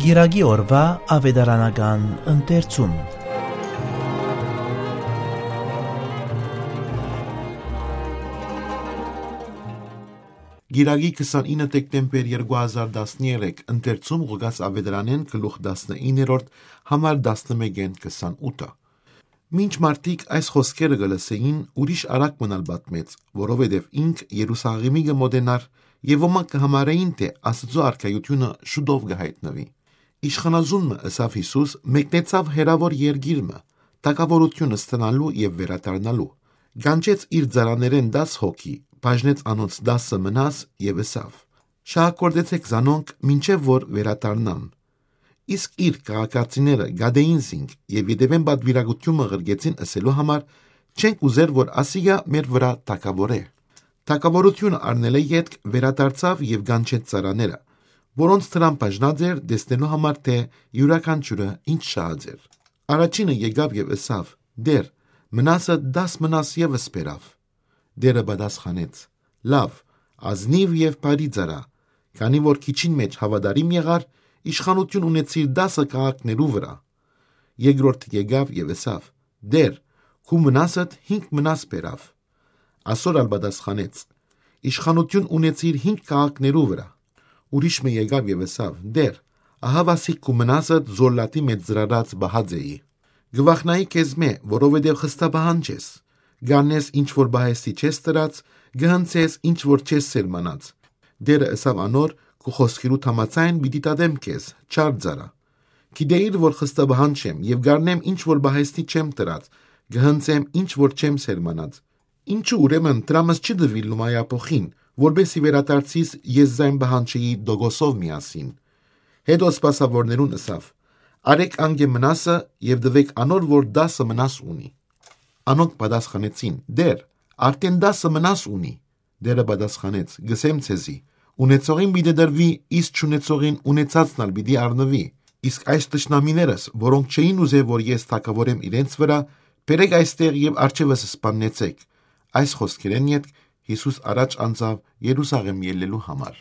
Գիրագի օրվա ավետարանական ընթերցում։ Գիրագի 29 դեկտեմբեր 2013 ընթերցում Ղուկաս ավետարանեն գլուխ 19-րդ համար 11-28։ Մինչ մարդիկ այս խոսքերը գլսեին, ուրիշ արագ մնալ պատմեց, որովհետև ինք Երուսաղեմի կմոտենար եւ ոմանք կհամարեին, թե Աստծո արքայությունը շուտով կհայտնվի։ Իշխանազունը ըսավ Հիսուս մեկնեցավ հերավոր երկիրը, տակավորությունը ստանալու եւ վերադառնալու։ Գանչեց իր ծառաներեն 10 հոգի, բաժնեց անոնց 10 մնաս եւ ըսավ. շահակորդեցեք զանոնք մինչեւ որ վերադառնամ։ Իսկ իր քաղաքացիները գադեին զինք եւ յետևեն բադվիրագությունը ղրգեցին ըսելու համար, չենք ուզեր որ ասիգա մեր վրա տակավորե։ Տակավորությունը առնելը յետք վերադարձավ եւ գանչեց ծառաները, որոնց դրան բաժնած էր տեսնելու համար, թե յուրաքանչյուրը ինչ շահած էր։ Առաջինը եկավ եւ ըսավ. «Դեր, մնասը 10 մնաս եւս բերավ»։ Դերը պատասխանեց. «Լավ, ազնիվ եւ բարի ծառա, քանի որ քիչին մեջ հավատարիմ եղար, իշխանություն ունեցիր 10 քաղաքներու վրա»։ Երկրորդը եկավ եւ ըսավ. «Դեր, քու մնասդ 5 մնաս բերավ»։ Ասոր ալ պատասխանեց. «Իշխանություն ունեցիր 5 քաղաքներու վրա»։ Ուրիշը եկավ եւ ըսավ. «Դեր, ահա վասիկ քու մնասդ զոլլատի մեջ ծրարած բահաձեի»։ Գվախնայի քեզ մե, որովհետև խստաբահան չես, գանես ինչ որ բահեստի չես տրած, գհնցես ինչ որ չես սերմանած։ Դերը ըսավ անոր. «Քու խոսքերու համաձայն պիտի տադեմ քեզ, չար ծառա։ Գիտեիր որ խստաբահան չեմ եւ գարնեմ ինչ որ բահեստի չեմ տրած, գհնցեմ ինչ որ չեմ սերմանած։ Ինչու ուրեմն տրամս չդվի լումայապոխին, որբեսի վերադարձիս ես զայն բահանչեի դոգոսով միասին»։ Հետո սպասավորներուն ըսավ. «Արեք անգե մնասը եւ դվեք անոր, որ 10 մնաս ունի»։ Անոնք պատասխանեցին. «Դեր, արդեն 10 մնաս ունի»։ Դերը պատասխանեց. «Գսեմ ցեզի, ունեցողին պիտի դրվի, իսկ չունեցողին ունեցածն ալ պիտի առնվի։ Իսկ այս տշնամիներս, որոնք չէին ուզե, որ ես թակավորեմ իրենց վրա, բերեք այստեղ եւ արջևս սպաննեցեք»։ Այս խոսքերեն յետք Հիսուս առաջ անցավ Երուսաղեմ ելնելու համար։